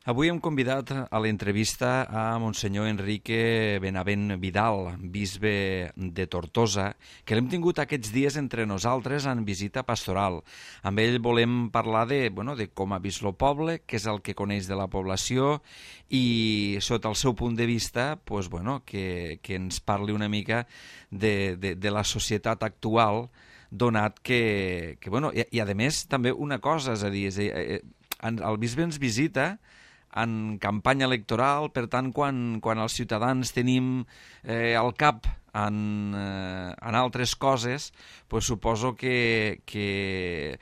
Avui hem convidat a l'entrevista a Monsenyor Enrique Benavent Vidal, bisbe de Tortosa, que l'hem tingut aquests dies entre nosaltres en visita pastoral. Amb ell volem parlar de com ha vist el poble, què és el que coneix de la població i, sota el seu punt de vista, que ens parli una mica de la societat actual, donat i a més també una cosa, és a dir, el bisbe ens visita en campanya electoral, per tant, quan els ciutadans tenim el cap en altres coses, suposo que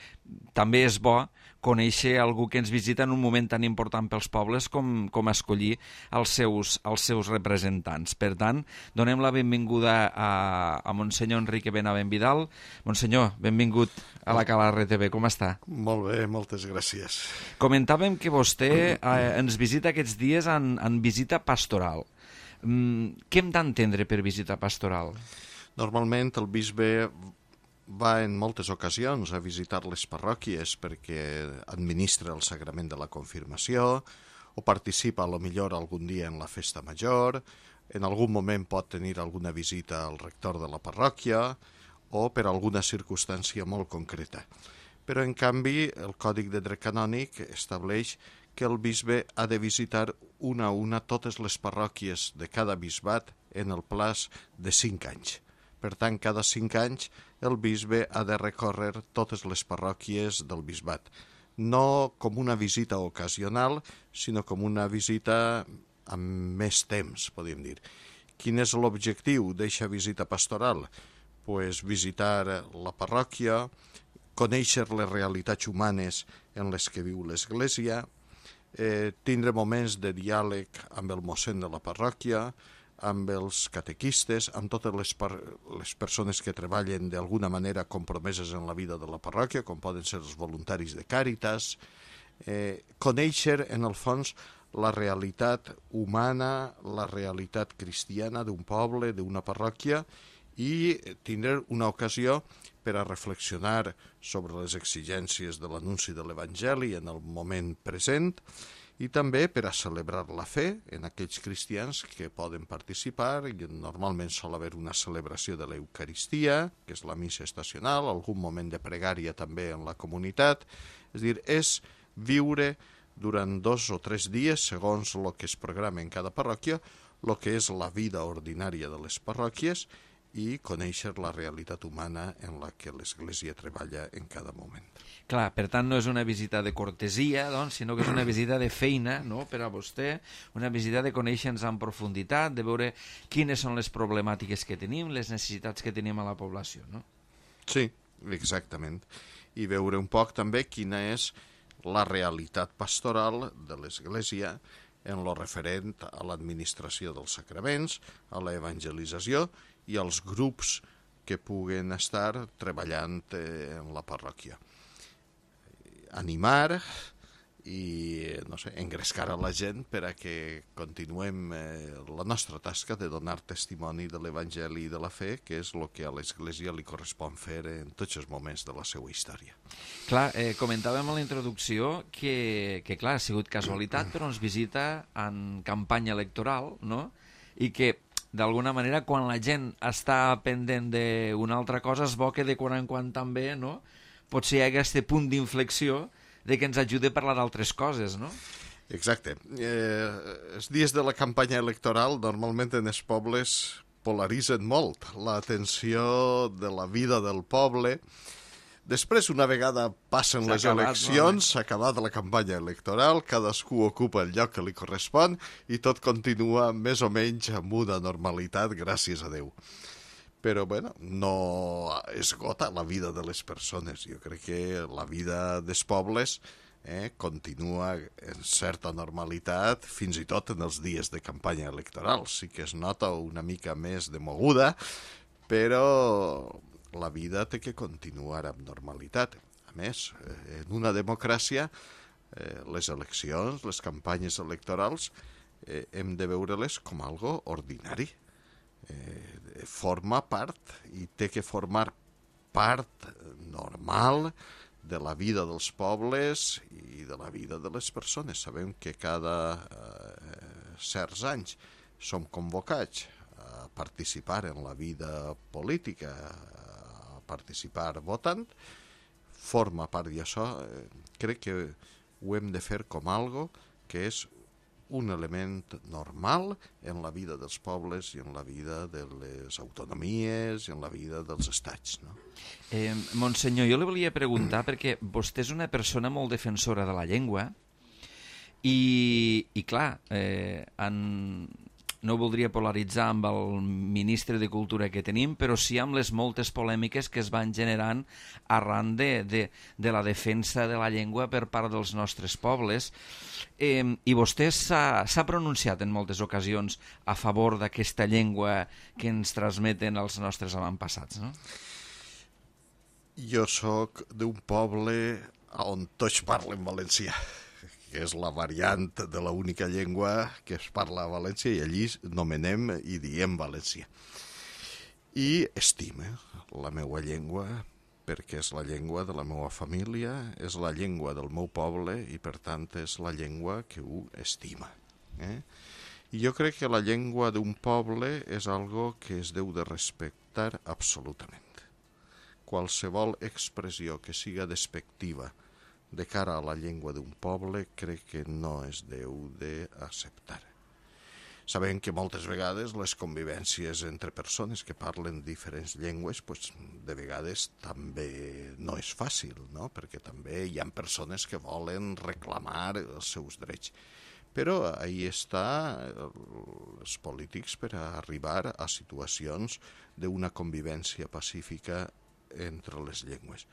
també és bo conèixer algú que ens visita en un moment tan important pels pobles com escollir els seus representants. Per tant, donem la benvinguda a Monsenyor Enrique Benavent Vidal. Monsenyor, benvingut a la Calarre TV. Com està? Molt bé, moltes gràcies. Comentàvem que vostè ens visita aquests dies en visita pastoral. Què hem d'entendre per visita pastoral? Normalment el bisbe va en moltes ocasions a visitar les parròquies perquè administra el sagrament de la confirmació o participa a lo millor algun dia en la festa major, en algun moment pot tenir alguna visita al rector de la parròquia o per alguna circumstància molt concreta. Però en canvi el Còdic de Dret Canònic estableix que el bisbe ha de visitar una a una totes les parròquies de cada bisbat en el plaç de 5 anys. Per tant, cada 5 anys el bisbe ha de recórrer totes les parròquies del bisbat. No com una visita ocasional, sinó com una visita amb més temps, podríem dir. Quin és l'objectiu d'aquesta visita pastoral? Visitar la parròquia, conèixer les realitats humanes en les que viu l'Església, tindre moments de diàleg amb el mossèn de la parròquia, amb els catequistes, amb totes les persones que treballen d'alguna manera compromeses en la vida de la parròquia, com poden ser els voluntaris de Càritas, conèixer, en el fons, la realitat humana, la realitat cristiana d'un poble, d'una parròquia, i tindre una ocasió per a reflexionar sobre les exigències de l'anunci de l'Evangeli en el moment present, i també per a celebrar la fe en aquells cristians que poden participar, i normalment sol haver una celebració de l'Eucaristia, que és la missa estacional, algun moment de pregària també en la comunitat. És dir, és viure durant 2 o 3 dies, segons el que es programa en cada parròquia, el que és la vida ordinària de les parròquies i conèixer la realitat humana en la que l'Església treballa en cada moment. Clar, per tant, no és una visita de cortesia, sinó que és una visita de feina, no?, per a vostè, una visita de conèixer-nos en profunditat, de veure quines són les problemàtiques que tenim, les necessitats que tenim a la població, no? Sí, exactament. I veure un poc també quina és la realitat pastoral de l'Església en lo referent a l'administració dels sacraments, a l'evangelització i als grups que puguen estar treballant en la parròquia. Animar i engrescar a la gent per a que continuem la nostra tasca de donar testimoni de l'Evangeli i de la fe, que és el que a l'Església li correspon fer en tots els moments de la seva història. Clar, comentàvem a la introducció que clar, ha sigut casualitat, però ens visita en campanya electoral, no?, i que d'alguna manera, quan la gent està pendent d'una altra cosa, és bo que de quan en quan també, no?, potser hi hagi aquest punt d'inflexió de que ens ajudi a parlar d'altres coses, no? Exacte. Els dies de la campanya electoral normalment en els pobles polaritzen molt l'atenció de la vida del poble. Després, una vegada passen les eleccions, s'ha acabat la campanya electoral, cadascú ocupa el lloc que li correspon i tot continua més o menys amb una normalitat, gràcies a Déu. Però, no esgota la vida de les persones. Jo crec que la vida dels pobles continua en certa normalitat, fins i tot en els dies de campanya electoral. Sí que es nota una mica més de moguda, però la vida té que continuar amb normalitat. A més, en una democràcia, les eleccions, les campanyes electorals, hem de veure-les com algo ordinari. Forma part i té que formar part normal de la vida dels pobles i de la vida de les persones. Sabem que cada certs anys som convocats a participar en la vida política, a participar votant, forma part d'això. Crec que ho hem de fer com algo que és un element normal en la vida dels pobles i en la vida de les autonomies i en la vida dels estats, no? Monsenyor, jo li volia preguntar, perquè vostè és una persona molt defensora de la llengua i clar, no voldria polaritzar amb el ministre de Cultura que tenim, però sí amb les moltes polèmiques que es van generant arran de la defensa de la llengua per part dels nostres pobles. I vostè s'ha pronunciat en moltes ocasions a favor d'aquesta llengua que ens transmeten els nostres avantpassats, no? Jo sóc d'un poble on tots parlen valencià, que és la variant de l'única llengua que es parla a València, i allí nomenem i diem valencià. I estime la meva llengua perquè és la llengua de la meva família, és la llengua del meu poble i per tant és la llengua que ho estima. I jo crec que la llengua d'un poble és algo que es deu de respectar absolutament. Qualsevol expressió que siga despectiva de cara a la llengua d'un poble crec que no es deu d'acceptar. Sabem que moltes vegades les convivències entre persones que parlen diferents llengües de vegades també no és fàcil, no? Perquè també hi ha persones que volen reclamar els seus drets. Però ahí està els polítics per arribar a situacions d'una convivència pacífica entre les llengües.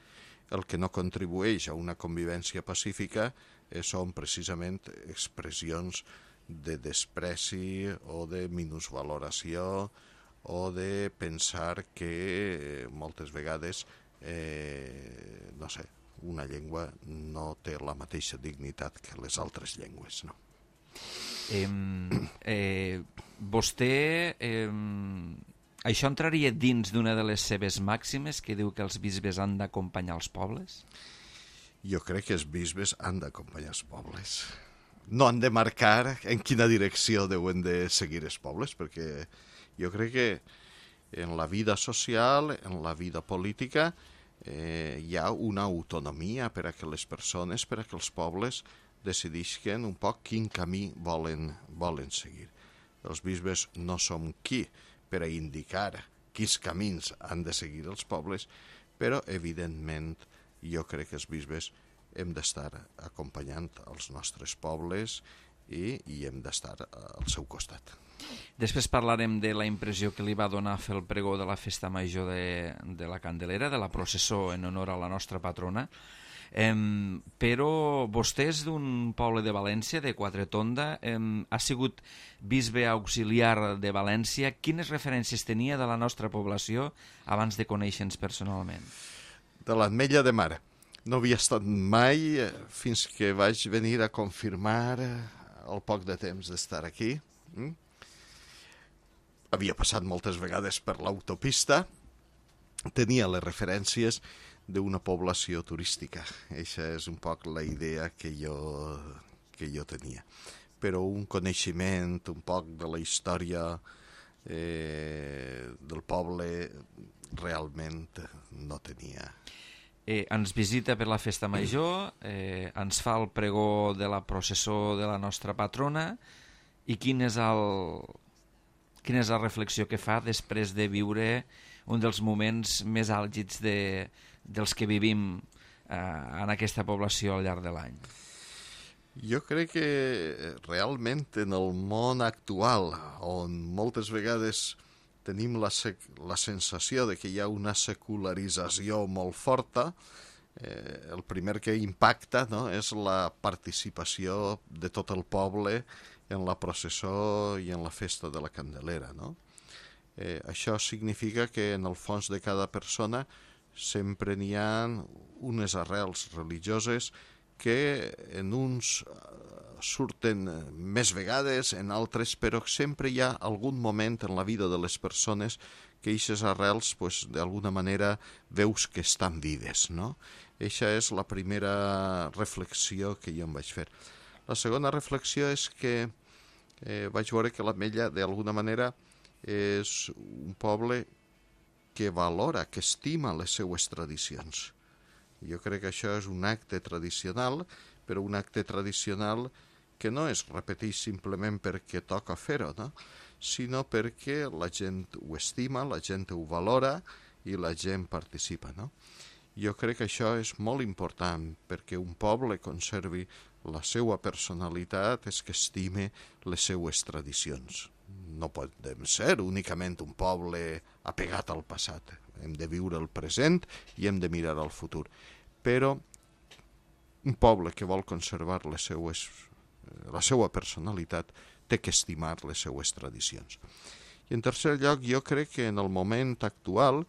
El que no contribueix a una convivència pacífica són precisament expressions de despreci o de minusvaloració o de pensar que moltes vegades una llengua no té la mateixa dignitat que les altres llengües, no? Vostè això entraria dins d'una de les seves màximes que diu que els bisbes han d'acompanyar els pobles? Jo crec que els bisbes han d'acompanyar els pobles. No han de marcar en quina direcció deuen de seguir els pobles, perquè jo crec que en la vida social, en la vida política, hi ha una autonomia per a que les persones, per a que els pobles decidisquen un poc quin camí volen seguir. Els bisbes no som qui per a indicar quins camins han de seguir els pobles, però evidentment jo crec que els bisbes hem d'estar acompanyant els nostres pobles i hem d'estar al seu costat. Després parlarem de la impressió que li va donar fer el pregó de la festa major de la Candelera, de la processó en honor a la nostra patrona. Però vostè és d'un poble de València, de Quatretonda, ha sigut bisbe auxiliar de València. Quines referències tenia de la nostra població abans de conèixer-nos personalment? De l'Ametlla de Mar. No havia estat mai fins que vaig venir a confirmar el poc de temps d'estar aquí. Havia passat moltes vegades per l'autopista, tenia les referències d'una població turística. Eixa és un poc la idea que jo tenia. Però un coneixement un poc de la història del poble realment no tenia. Ens visita per la festa major, ens fa el pregó de la processó de la nostra patrona, i quina és la reflexió que fa després de viure un dels moments més àlgids dels que vivim en aquesta població al llarg de l'any? Jo crec que realment en el món actual, on moltes vegades tenim la sensació de que hi ha una secularització molt forta, el primer que impacta, no, és la participació de tot el poble en la processó i en la festa de la Candelera, no? Això significa que en el fons de cada persona sempre n'hi ha unes arrels religioses que en uns surten més vegades, en altres, però sempre hi ha algun moment en la vida de les persones que aquestes arrels, pues, d'alguna manera, veus que estan vives, no? Eixa és la primera reflexió que jo em vaig fer. La segona reflexió és que vaig veure que l'Ametlla, d'alguna manera, és un poble que valora, que estima les seues tradicions. Jo crec que això és un acte tradicional, però un acte tradicional que no es repeteix simplement perquè toca fer-ho, no? Sinó perquè la gent ho estima, la gent ho valora i la gent participa, no? Jo crec que això és molt important perquè un poble conservi la seva personalitat és que estime les seues tradicions. No podem ser únicament un poble apegat al passat. Hem de viure el present i hem de mirar al futur. Però un poble que vol conservar la seva personalitat té que estimar les seues tradicions. I en tercer lloc, jo crec que en el moment actual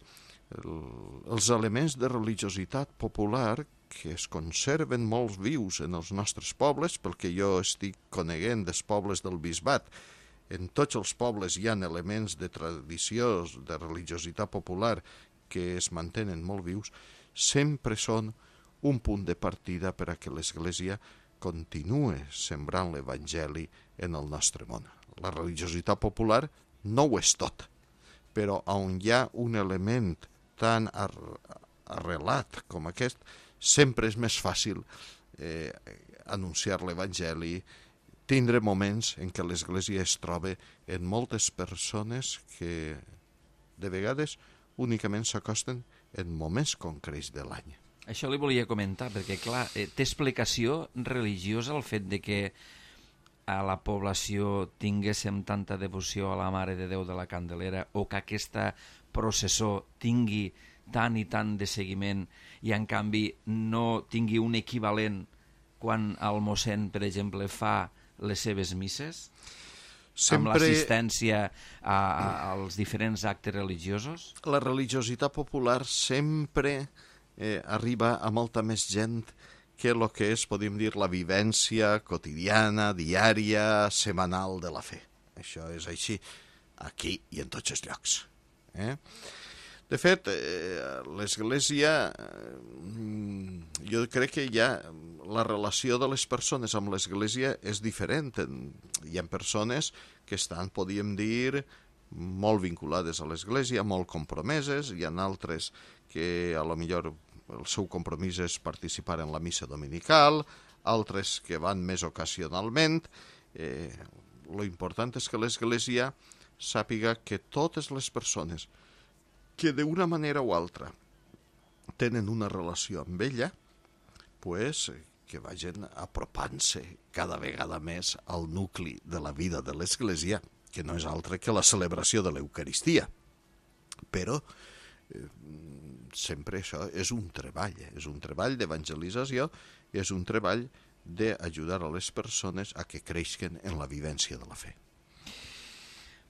els elements de religiositat popular que es conserven molt vius en els nostres pobles, pel que jo estic coneguent dels pobles del Bisbat, en tots els pobles hi ha elements de tradició, de religiositat popular que es mantenen molt vius, sempre són un punt de partida per a que l'Església continue sembrant l'Evangeli en el nostre món. La religiositat popular no ho és tot, però on hi ha un element tan arrelat com aquest, sempre és més fàcil anunciar l'Evangeli, tindre moments en què l'Església es troba en moltes persones que de vegades únicament s'acosten en moments concrets de l'any. Això li volia comentar, perquè clar, té explicació religiosa el fet de que a la població tinguéssim tanta devoció a la Mare de Déu de la Candelera o que aquesta processó tingui tant i tant de seguiment i en canvi no tingui un equivalent quan el mossèn, per exemple, fa les seves misses? Amb l'assistència als diferents actes religiosos? La religiositat popular sempre arriba a molta més gent que el que és, podríem dir, la vivència quotidiana, diària, setmanal de la fe. Això és així, aquí i en tots els llocs. De fet, l'Església, jo crec que ja la relació de les persones amb l'Església és diferent. Hi ha persones que estan, podríem dir, molt vinculades a l'Església, molt compromeses, hi ha altres que a lo millor el seu compromís és participar en la missa dominical, altres que van més ocasionalment. Lo important és que l'Església sàpiga que totes les persones que d'una manera o altra tenen una relació amb ella, pues, que vagin apropant-se cada vegada més al nucli de la vida de l'Església, que no és altre que la celebració de l'Eucaristia. Però sempre això és un treball d'evangelització i és un treball d'ajudar a les persones a que creixen en la vivència de la fe.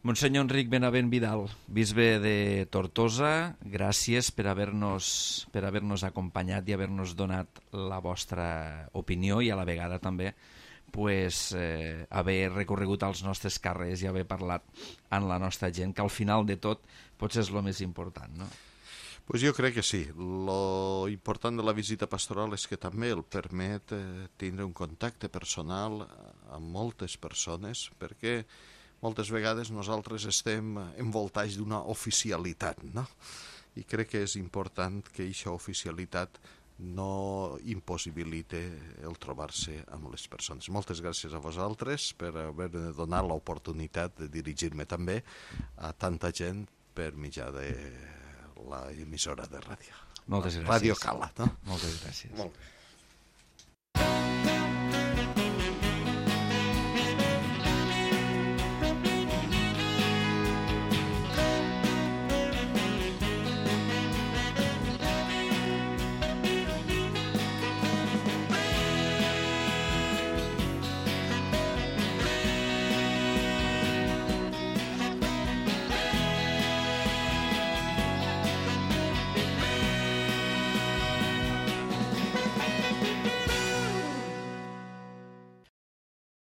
Monsenyor Enric Benavent Vidal, bisbe de Tortosa, gràcies per haver-nos acompanyat i haver-nos donat la vostra opinió i a la vegada també haver recorregut als nostres carrers i haver parlat amb la nostra gent, que al final de tot potser és el més important, no? Pues jo crec que sí. Lo important de la visita pastoral és que també el permet tindre un contacte personal amb moltes persones, perquè moltes vegades nosaltres estem envoltats d'una oficialitat, no? I crec que és important que aquesta oficialitat no impossibilite el trobar-se amb les persones. Moltes gràcies a vosaltres per haver donat l'oportunitat de dirigir-me també a tanta gent per mitjà de la emissora de ràdio. Moltes gràcies. Ràdio Cala, no? Moltes gràcies. Molt bé.